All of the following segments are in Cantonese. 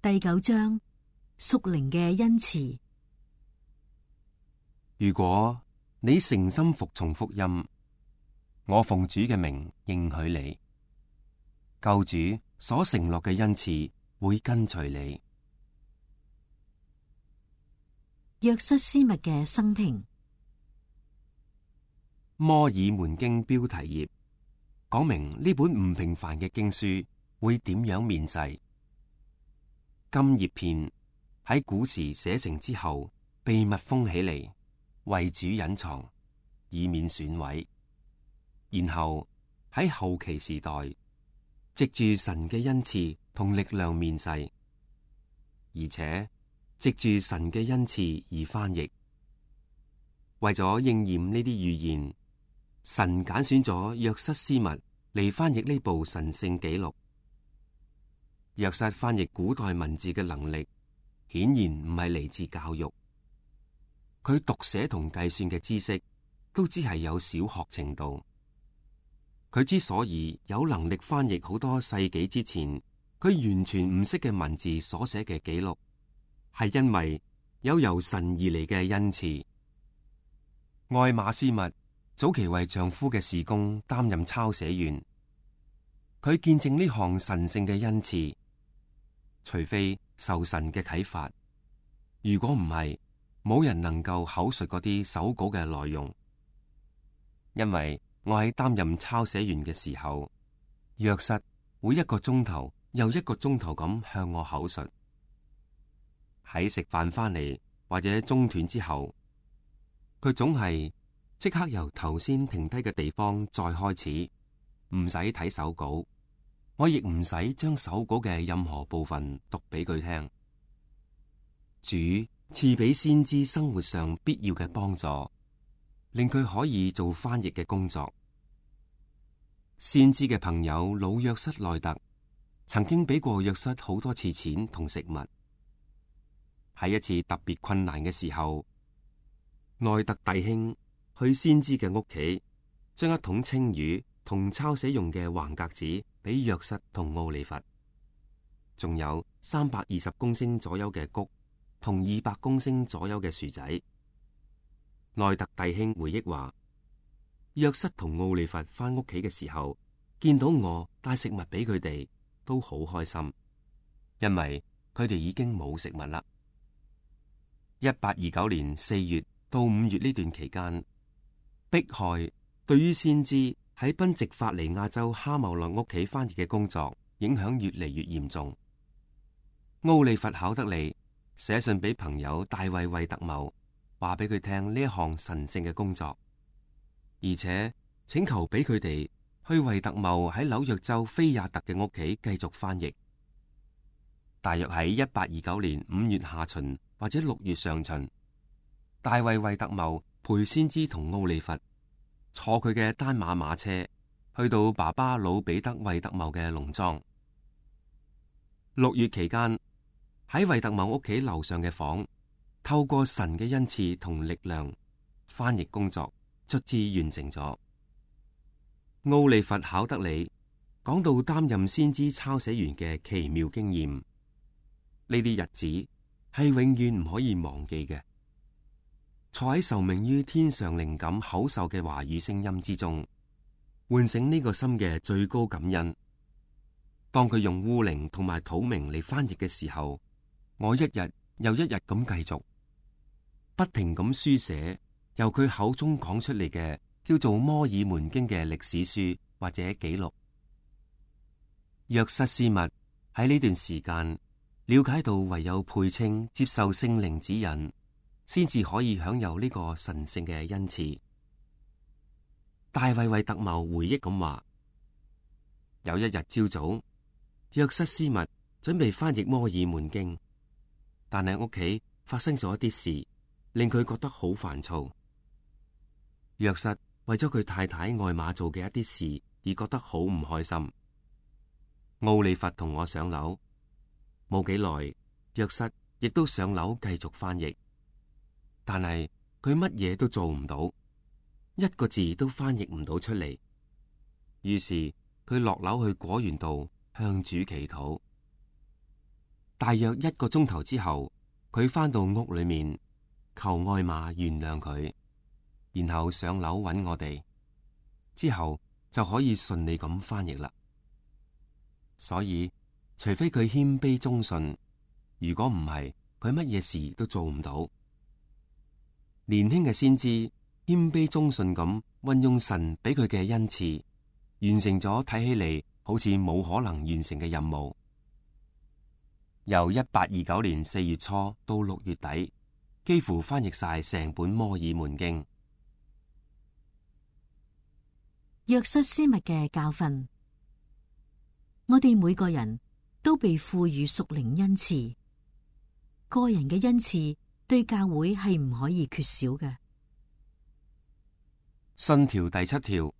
第9章，屬靈嘅恩賜。如果你誠心服從福音，我奉主嘅名應許你，救主所承諾嘅恩賜會跟隨你。約瑟斯密嘅生平。摩爾門經標題頁講明呢本唔平凡嘅經書會點樣面世。金葉片喺古時寫成之後，被密封起嚟，為主隱藏，以免損毀。然後喺後期時代，藉住神嘅恩賜同力量面世，而且藉住神嘅恩賜而翻譯。為咗應驗呢啲預言，神揀選咗約瑟斯密嚟翻譯呢部神聖紀錄。約瑟翻譯古代文字嘅能力，顯然唔係嚟自教育。佢讀寫同計算嘅知識，都只係有小學程度。佢之所以有能力翻譯好多世紀之前佢完全唔識嘅文字所寫嘅記錄，係因為有由神而嚟嘅恩賜。愛馬斯密早期為丈夫嘅事工擔任抄寫員，佢見證呢項神聖嘅恩賜。除非受神嘅啟發，如果唔係，冇人能夠口述嗰啲手稿嘅內容。因為我喺擔任抄寫員嘅時候，約瑟會1個鐘頭又1個鐘頭咁向我口述。喺食飯翻嚟或者中斷之後，佢總係即刻由頭先停低嘅地方再開始，唔使睇手稿。我亦唔使將手稿嘅任何部分讀俾佢聽。主賜俾先知生活上必要嘅幫助，令佢可以做翻譯嘅工作。先知嘅朋友老約瑟內特曾經俾過約瑟好多次錢同食物。喺一次特別困難嘅時候，內特弟兄去先知嘅屋企，將1桶青魚同抄寫用嘅橫格子俾約瑟同奧利弗，仲有320公升左右嘅穀同200公升左右嘅薯仔。內特弟兄回憶話，約瑟同奧利弗翻屋企嘅時候，見到我帶食物俾佢哋，都好開心，因為佢哋已經冇食物啦。1829年4月到5月呢段期間，迫害對於先知喺賓夕法尼亞州哈茂勒屋企翻譯嘅工作影響越嚟越嚴重。奧利弗考德利寫信俾朋友大衛惠特茂，話俾佢聽呢一項神聖嘅工作，而且請求俾佢哋去惠特茂喺紐約州菲亞特嘅屋企繼續翻譯。大約喺1829年5月下旬或者6月上旬，大衛惠特茂陪先知同奧利弗坐佢嘅單馬馬車去到爸爸老彼得惠特茂嘅農莊。6月期間，喺惠特茂屋企樓上嘅房，透過神嘅恩賜同力量，翻譯工作卒之完成咗。奧利弗考德里講到擔任先知抄寫員嘅奇妙經驗，呢啲日子係永遠唔可以忘記嘅。坐喺受命於天上靈感口授嘅話語聲音之中，喚醒呢個心嘅最高感恩。當佢用烏靈同埋土明嚟翻譯嘅時候，我一日又一日咁繼續，不停咁書寫由佢口中講出嚟嘅叫做摩爾門經嘅歷史書或者記錄。約瑟斯密喺呢段時間了解到，唯有配稱接受聖靈指引，先至可以享有呢個神聖嘅恩賜。大衛惠特茂回憶咁話，有一日朝早，約瑟斯密準備翻譯摩爾門經，但係屋企發生咗一啲事，令佢覺得好煩躁。約瑟為咗佢太太愛瑪做嘅一啲事而覺得好唔開心。奧利弗同我上樓，冇幾耐，約瑟亦都上樓繼續翻譯。但係佢乜嘢都做唔到，1個字都翻譯唔到出嚟。於是佢落樓去果園度向主祈禱。大約1個鐘頭之後，佢返到屋裏面，求艾瑪原諒佢，然後上樓揾我哋，之後就可以順利咁翻譯啦。所以，除非佢謙卑忠信，如果唔係，佢乜嘢事都做唔到。年輕嘅先知謙卑忠信咁運用神俾佢嘅恩賜，完成咗睇起嚟好似冇可能完成嘅任務。由1829年4月初到6月底，幾乎翻譯晒成本摩爾門經。約瑟斯密嘅教訓，我哋每個人都被賦予屬靈恩賜，個人嘅恩賜對教會係唔可以缺少嘅。信條第7條，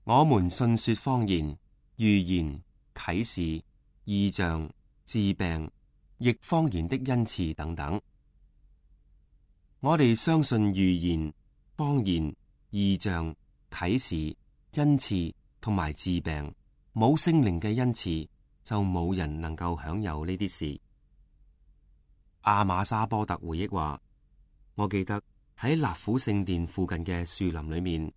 我們信說方言、預言、啟示、異象、治病、譯方言的恩賜等等。我哋相信預言、方言、異象、啟示、恩賜同埋治病，冇聖靈嘅恩賜，就冇人能夠享有呢啲事。阿瑪沙波特回憶話：我記得喺納府聖殿附近嘅樹林裏面，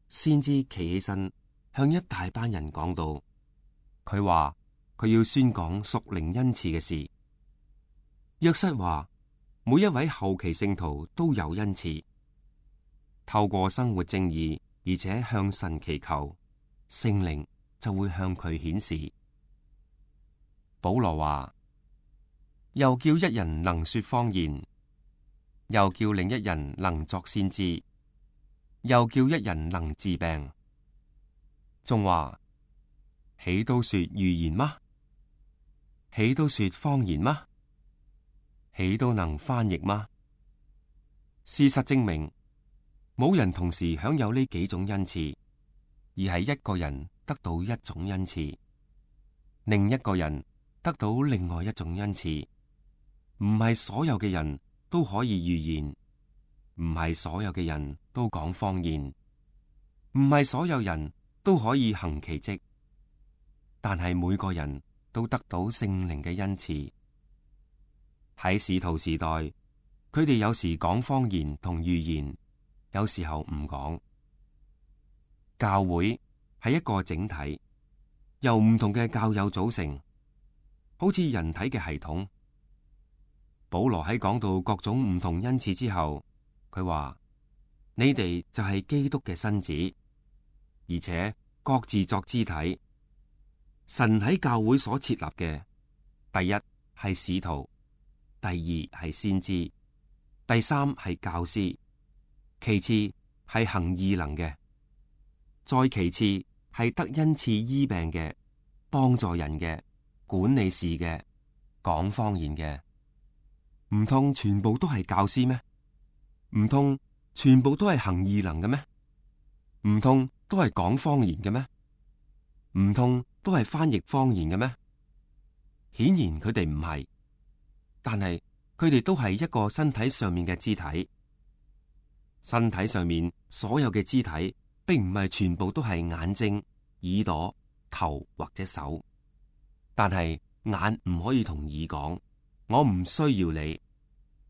先知企起身向一大班人講道。佢話佢要宣講屬靈恩賜嘅事。約瑟話每一位後期聖徒都有恩賜，透過生活正義而且向神祈求，聖靈就會向佢顯示。保羅話：又叫一人能說方言，又叫另一人能作先知，又叫一人能治病。仲話：豈都說預言嗎？豈都說方言嗎？豈都能翻譯嗎？事實證明，冇人同時享有呢幾種恩賜，而係一個人得到一種恩賜，另一個人得到另外一種恩賜。唔係所有嘅人都可以預言，唔係所有嘅人都講方言，唔係所有人都可以行奇蹟，但係每個人都得到聖靈嘅恩賜。喺使徒時代，佢哋有時講方言同預言，有時候唔講。教會係一個整體，由唔同嘅教友組成，好似人體嘅系統。保羅喺講到各種唔同恩賜之後，佢話：你哋就係基督嘅身子，而且各自作肢體。神喺教會所設立嘅，第一係使徒，第二係先知，第3係教師，其次係行異能嘅，再其次係得恩賜醫病嘅、幫助人嘅、管理事嘅、講方言嘅。唔通全部都係教師咩？唔通全部都係行異能嘅咩？唔通都係講方言嘅咩？唔通都係翻譯方言嘅咩？顯然佢哋唔係，但係佢哋都係一個身體上面嘅肢體。身體上面所有嘅肢體，並唔係全部都係眼睛、耳朵、頭或者手，但係眼唔可以同耳講，我唔需要你。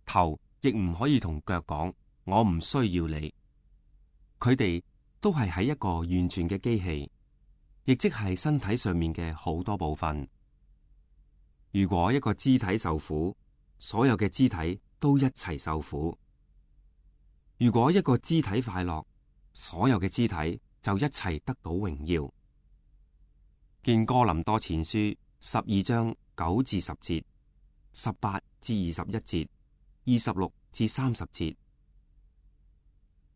頭亦唔可以同腳講，我唔需要你。佢哋都係喺一個完全嘅機器，亦即係身體上面嘅好多部分。如果一個肢體受苦，所有嘅肢體都一齊受苦；如果一個肢體快樂，所有嘅肢體就一齊得到榮耀。見哥林多前書12章9至10節、18至21節、26至30節。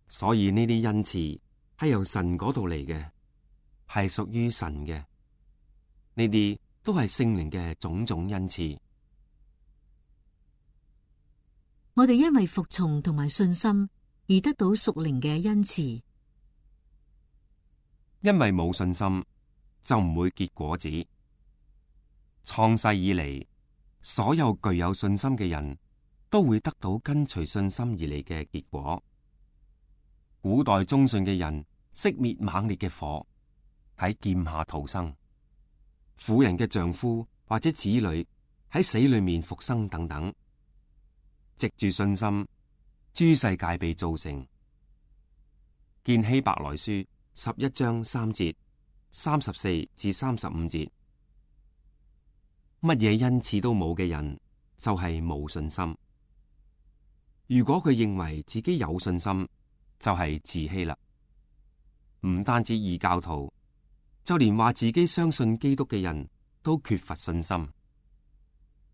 所以呢啲恩賜係由神嗰度嚟嘅，係屬於神嘅。呢啲都係聖靈嘅種種恩賜。我哋因為服從同埋信心而得到屬靈嘅恩賜。因為冇信心就唔會結果子。創世以嚟，所有具有信心嘅人都會得到跟隨信心而嚟嘅結果。古代忠信嘅人熄滅猛烈嘅火，喺劍下逃生。婦人嘅丈夫或者子女喺死裏面復生等等。藉住信心，諸世界被造成。見希伯來書11章3節、34至35節。乜嘢恩賜都冇嘅人，就係冇信心。如果佢認為自己有信心，就係自欺啦。唔單止異教徒，就連話自己相信基督嘅人都缺乏信心，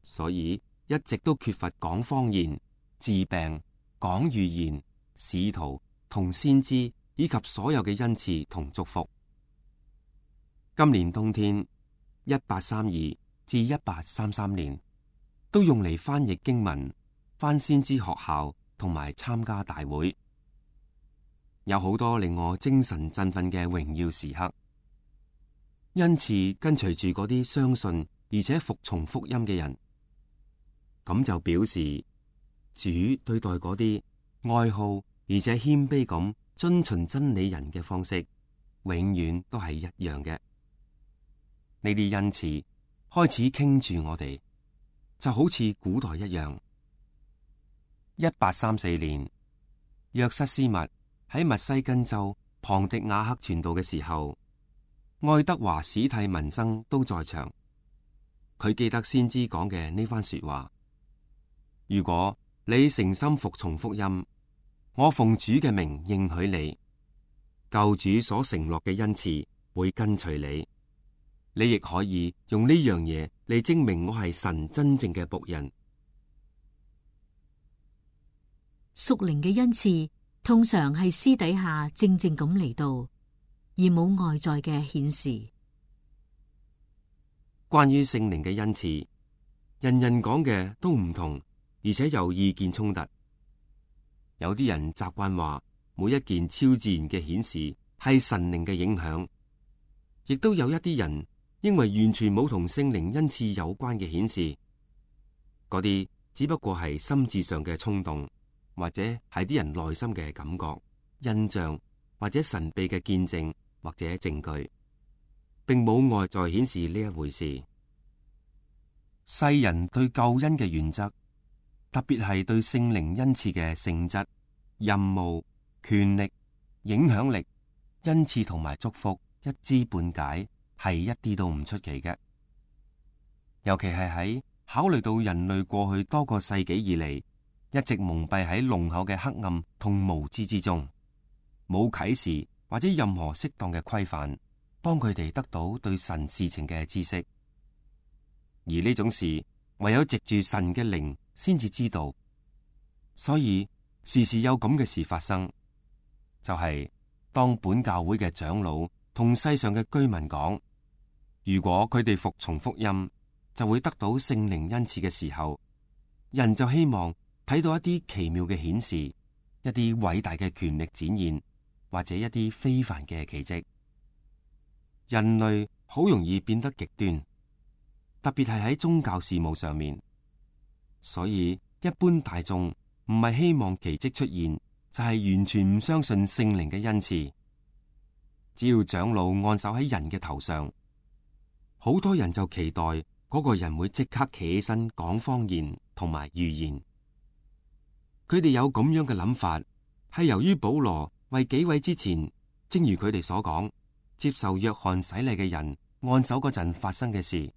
所以一直都缺乏講方言、治病、講預言、使徒同先知以及所有嘅恩賜同祝福。今年冬天1832至1833年都用嚟翻譯經文、翻先知學校同埋參加大會，有好多令我精神振奮嘅榮耀時刻。因此跟隨住嗰啲相信而且服從福音嘅人，咁就表示主對待嗰啲愛好而且謙卑咁遵循真理人嘅方式，永遠都係一樣嘅。呢啲恩賜開始傾住我哋，就好似古代一樣。1834年，約瑟斯密喺密西根州龐迪亞克傳道嘅時候，愛德華史蒂文生都在場。佢記得先知講嘅呢番說話：如果你誠心服從福音，我奉主嘅名應許你，救主所承諾嘅恩賜會跟隨你。你亦可以用呢樣嘢嚟證明我係神真正嘅僕人。屬靈嘅恩賜通常係私底下靜靜咁嚟到，而冇外在嘅顯示。關於聖靈嘅恩賜，人人講嘅都唔同，而且有意見衝突。有啲人習慣話每一件超自然嘅顯示係神靈嘅影響，亦都有一啲人因為完全冇同聖靈恩賜有關嘅顯示，嗰啲只不過係心智上嘅衝動，或者係啲人內心嘅感覺、印象，或者神秘嘅見證或者證據，並冇外在顯示呢一回事。世人對救恩嘅原則，特別係對聖靈恩賜嘅性質、任務、權力、影響力、恩賜同埋祝福一知半解，係一啲都唔出奇嘅。尤其係喺考慮到人類過去多個世紀以嚟，一直蒙蔽喺濃厚嘅黑暗同無知之中，冇啟示或者任何適當嘅規範，幫佢哋得到對神事情嘅知識。而呢種事唯有藉住神嘅靈先至知道，所以時時有咁嘅事發生，就係當本教會嘅長老同世上嘅居民講，如果佢哋服從福音，就會得到聖靈恩賜嘅時候，人就希望睇到一啲奇妙嘅顯示，一啲偉大嘅權力展現，或者一啲非凡嘅奇蹟。人類好容易變得極端，特別係喺宗教事務上面。所以一般大眾唔係希望奇蹟出現，就係完全唔相信聖靈嘅恩賜。只要長老按手喺人嘅頭上，好多人就期待嗰個人會即刻企起身講方言同埋預言。佢哋有咁樣嘅諗法，係由於保羅為幾位之前，正如佢哋所講，接受約翰洗禮嘅人按手嗰陣發生嘅事。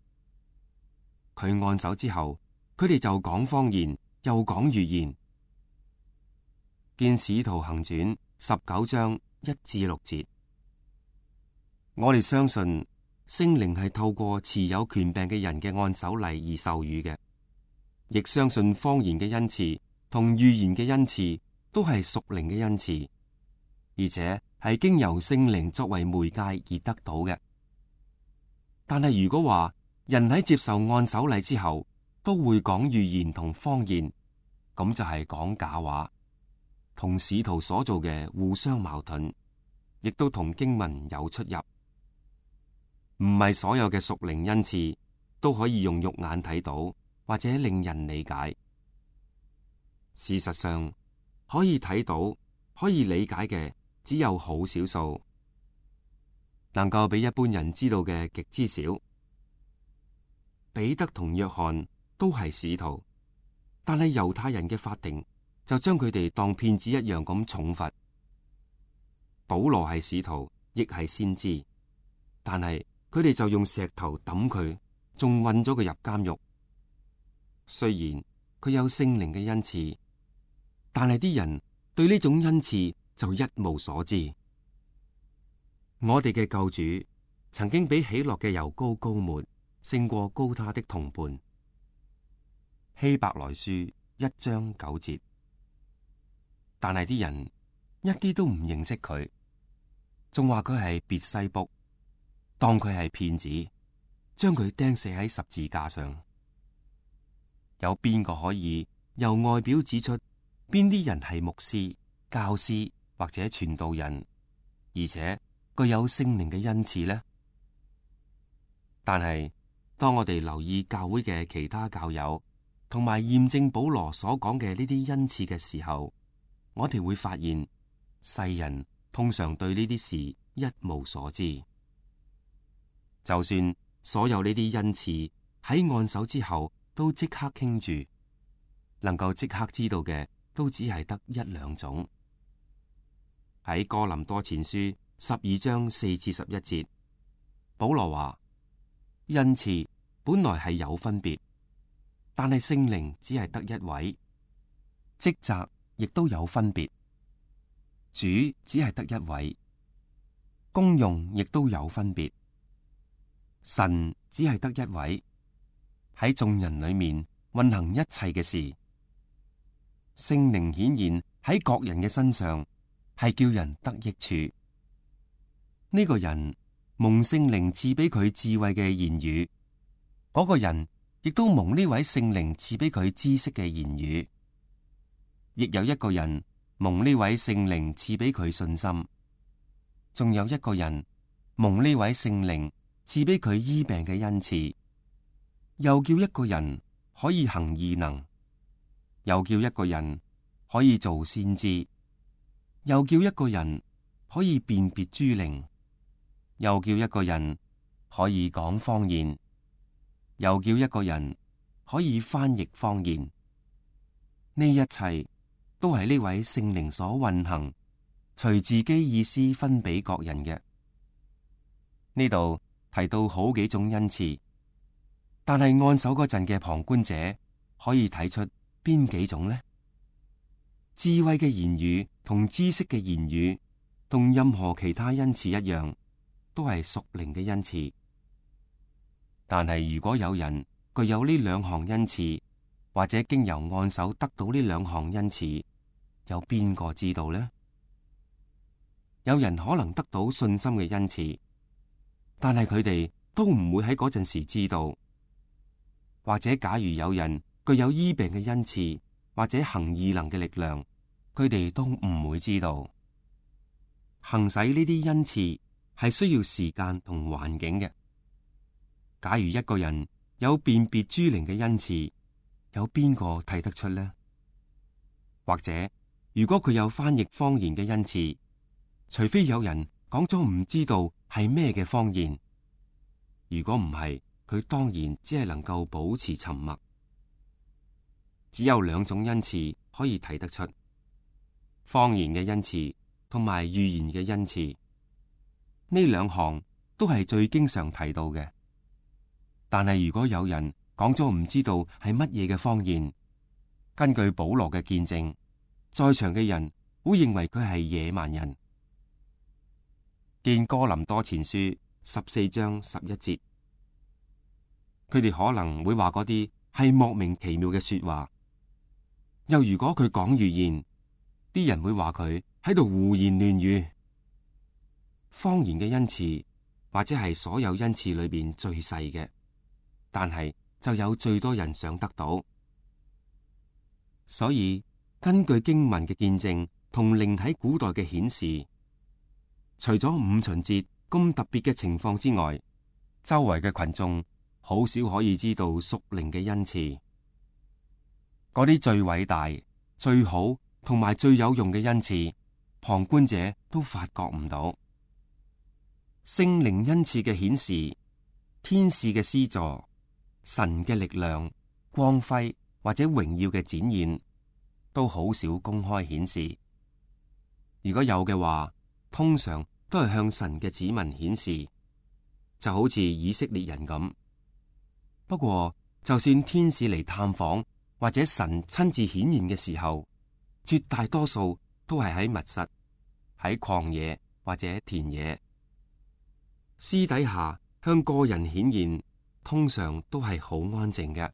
佢按手之後，佢哋就講方言，又講預言。見使徒行傳19章1至6節，我哋相信聖靈係透過持有權柄嘅人嘅按手禮而授予嘅，亦相信方言嘅恩賜同預言嘅恩賜都係屬靈嘅恩賜，而且係經由聖靈作為媒介而得到嘅。但係如果話人喺接受按手禮之後都會講預言同方言，咁就係講假話，同使徒所做嘅互相矛盾，亦都同經文有出入。唔係所有嘅屬靈恩賜都可以用肉眼睇到或者令人理解。事實上，可以睇到、可以理解嘅只有好少數，能夠俾一般人知道嘅極之少。彼得同約翰都係使徒，但係猶太人嘅法庭就將佢哋當騙子一樣咁重罰。保羅係使徒，亦係先知，但係佢哋就用石頭抌佢，仲運咗佢入監獄。雖然佢有聖靈嘅恩賜，但係啲人對呢種恩賜就一無所知。我哋嘅救主曾經比喜樂嘅油膏膏抹勝過膏他的同伴。希伯來書1章9節。但係啲人一啲都唔認識佢，仲話佢係別西卜，當佢係騙子，將佢釘死喺十字架上。有邊個可以由外表指出邊啲人係牧師、教師或者傳道人，而且具有聖靈嘅恩賜呢？但係當我哋留意教會嘅其他教友，同埋驗證保羅所講嘅呢啲恩賜嘅時候，我哋會發現世人通常對呢啲事一無所知。就算所有呢啲恩賜喺按手之後都即刻傾住，能夠即刻知道嘅都只係得一兩種。喺哥林多前書12章4至11節，保羅話：恩賜本來係有分別，但係聖靈只係得一位；職責亦都有分別，主只係得一位；功用亦都有分別，神只係得一位。喺眾人裏面運行一切嘅事，聖靈顯現喺各人嘅身上，係叫人得益處。呢個人蒙聖靈賜俾佢智慧嘅言語，嗰個人亦都蒙呢位聖靈賜俾佢知識嘅言語。亦有一個人蒙呢位聖靈賜俾佢信心，仲有一個人蒙呢位聖靈賜俾佢醫病嘅恩賜。又叫一個人可以行異能，又叫一個人可以做先知，又叫一個人可以辨別諸靈，又叫一個人可以講方言，又叫一個人可以翻譯方言。呢一切都係呢位聖靈所運行，隨自己意思分俾各人嘅。呢度提到好幾種恩賜，但係按手嗰陣嘅旁觀者可以睇出邊幾種呢？智慧嘅言語同知識嘅言語，同任何其他恩賜一樣，都係屬靈嘅恩賜。但係如果有人具有呢兩項恩賜，或者經由按手得到呢兩項恩賜，有邊個知道呢？有人可能得到信心嘅恩賜，但係佢哋都唔會喺嗰陣時知道。或者假如有人具有醫病嘅恩賜，或者行異能嘅力量，佢哋都唔會知道。行使呢啲恩賜係需要時間同環境嘅。假如一個人有辨別諸靈嘅恩賜，有邊個睇得出呢？或者如果佢有翻譯方言嘅恩賜，除非有人講咗唔知道係咩嘅方言，如果唔係，佢當然只係能夠保持沉默。只有兩種恩賜可以睇得出，方言嘅恩賜同埋預言嘅恩賜，呢兩項都係最經常提到嘅。但係如果有人講咗唔知道係乜嘢嘅方言，根據保羅嘅見證，在場嘅人會認為佢係野蠻人。見哥林多前書14章11節。佢哋可能會話嗰啲係莫名其妙嘅說話，又如果佢講預言，啲人會話佢喺度胡言亂語。方言嘅恩賜或者係所有恩賜裏邊最細嘅，但係就有最多人想得到。所以根據經文嘅見證同靈喺古代嘅顯示，除咗五旬節咁特別嘅情況之外，周圍嘅群眾好少可以知道屬靈嘅恩賜。嗰啲最偉大、最好同埋最有用嘅恩賜，旁觀者都發覺唔到。聖靈恩賜嘅顯示、天使嘅施助、神嘅力量、光輝或者榮耀嘅展現，都好少公開顯示。如果有嘅話，通常都係向神嘅子民顯示，就好似以色列人咁。不過，就算天使嚟探訪或者神親自顯現嘅時候，絕大多數都係喺密室、喺曠野或者田野。私底下向個人顯現，通常都係好安靜嘅，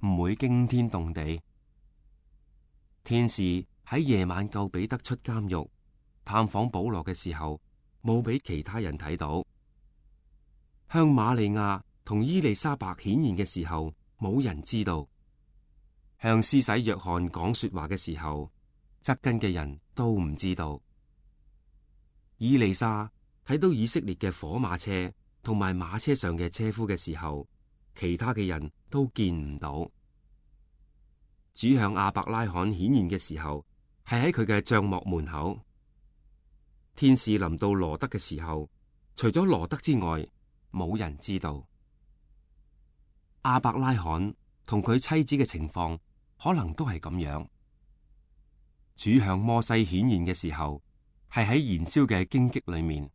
唔會驚天動地。天使喺夜晚救彼得出監獄，探訪保羅嘅時候，冇俾其他人睇到。向瑪利亞同伊麗莎白顯現嘅時候，冇人知道。向施洗約翰講說話嘅時候，側近嘅人都唔知道。以利沙睇到以色列嘅火馬車同埋馬車上嘅車夫嘅時候，其他嘅人都見唔到。主向亞伯拉罕顯現嘅時候，係喺佢嘅帳幕門口。天使臨到羅德嘅時候，除咗羅德之外，冇人知道。亞伯拉罕同佢妻子嘅情況可能都係咁樣。主向摩西顯現嘅時候，係喺燃燒嘅荊棘裏面，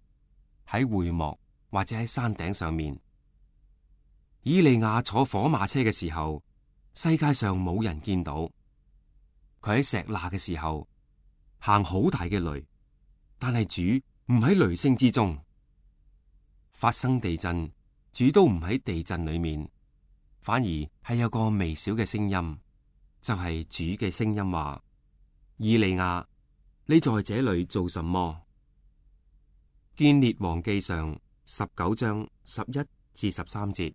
喺會幕或者喺山頂上面。以利亞坐火馬車嘅時候，世界上冇人見到。佢喺石那嘅時候，行好大嘅雷，但係主唔喺雷聲之中。發生地震，主都唔喺地震裏面，反而係有個微小嘅聲音，就係主嘅聲音話：以利亞，你在這裏做什麼？見列王記上19章11至13節。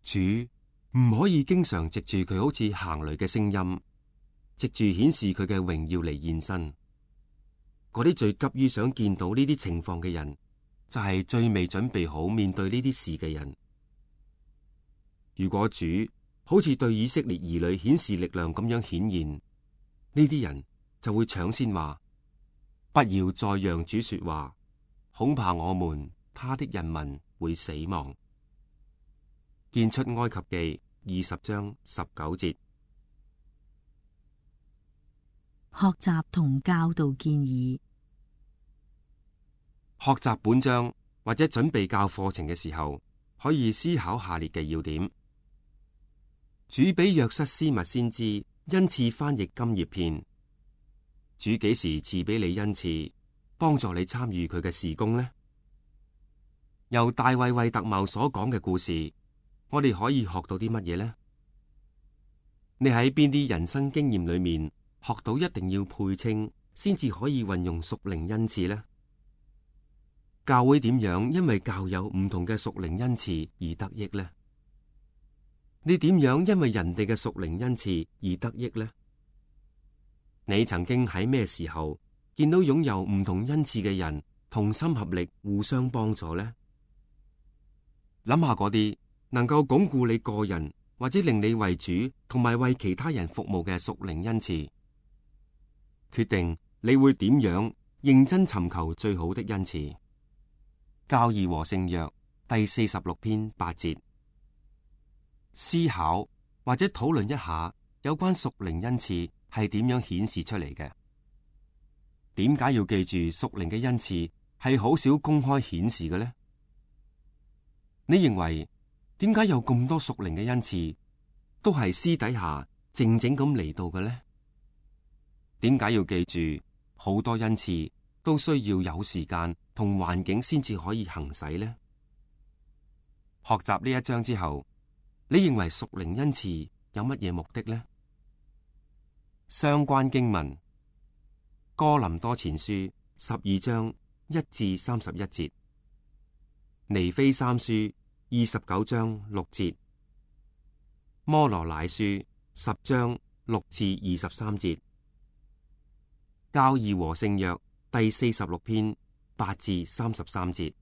主唔可以經常藉住佢好似行雷嘅聲音，藉住顯示佢嘅榮耀嚟現身。嗰啲最急於想見到呢啲情況嘅人，就係最未準備好面對呢啲事嘅人。如果主好似對以色列兒女顯示力量咁樣顯現，呢啲人就會搶先話：不要再讓主說話，恐怕我們他的人民會死亡。見出埃及記20章19節。學習同教導建議。學習本章或者準備教課程嘅時候，可以思考下列嘅要點。主俾約瑟斯密先知恩賜翻譯金葉片。主幾時賜俾你恩賜，幫助你參與佢嘅事工呢？由大衛惠特茂所講嘅故事，我哋可以學到啲乜嘢呢？你喺邊啲人生經驗裏面學到一定要配稱，先至可以運用屬靈恩賜呢？教會點樣因為教有唔同嘅屬靈恩賜而得益呢？你點樣因為人哋嘅屬靈恩賜而得益呢？你曾經喺咩時候見到擁有唔同恩賜嘅人同心合力互相幫助呢？諗下嗰啲能夠鞏固你個人或者令你為主同埋為其他人服務嘅屬靈恩賜，決定你會點樣認真尋求最好的恩賜。教義和聖約第46篇8節。思考或者討論一下有關屬靈恩賜係點樣顯示出嚟嘅？點解要記住屬靈嘅恩賜係好少公開顯示嘅呢？你認為點解有咁多屬靈嘅恩賜都係私底下靜靜咁嚟到嘅呢？點解要記住好多恩賜都需要有時間同環境先至可以行使呢？學習呢一章之後，你認為屬靈恩賜有乜嘢目的呢？相關經文：哥林多前書12章1至31節，尼非三書29章6節，摩羅乃書10章6至23節，教義和聖約第46篇8至33節。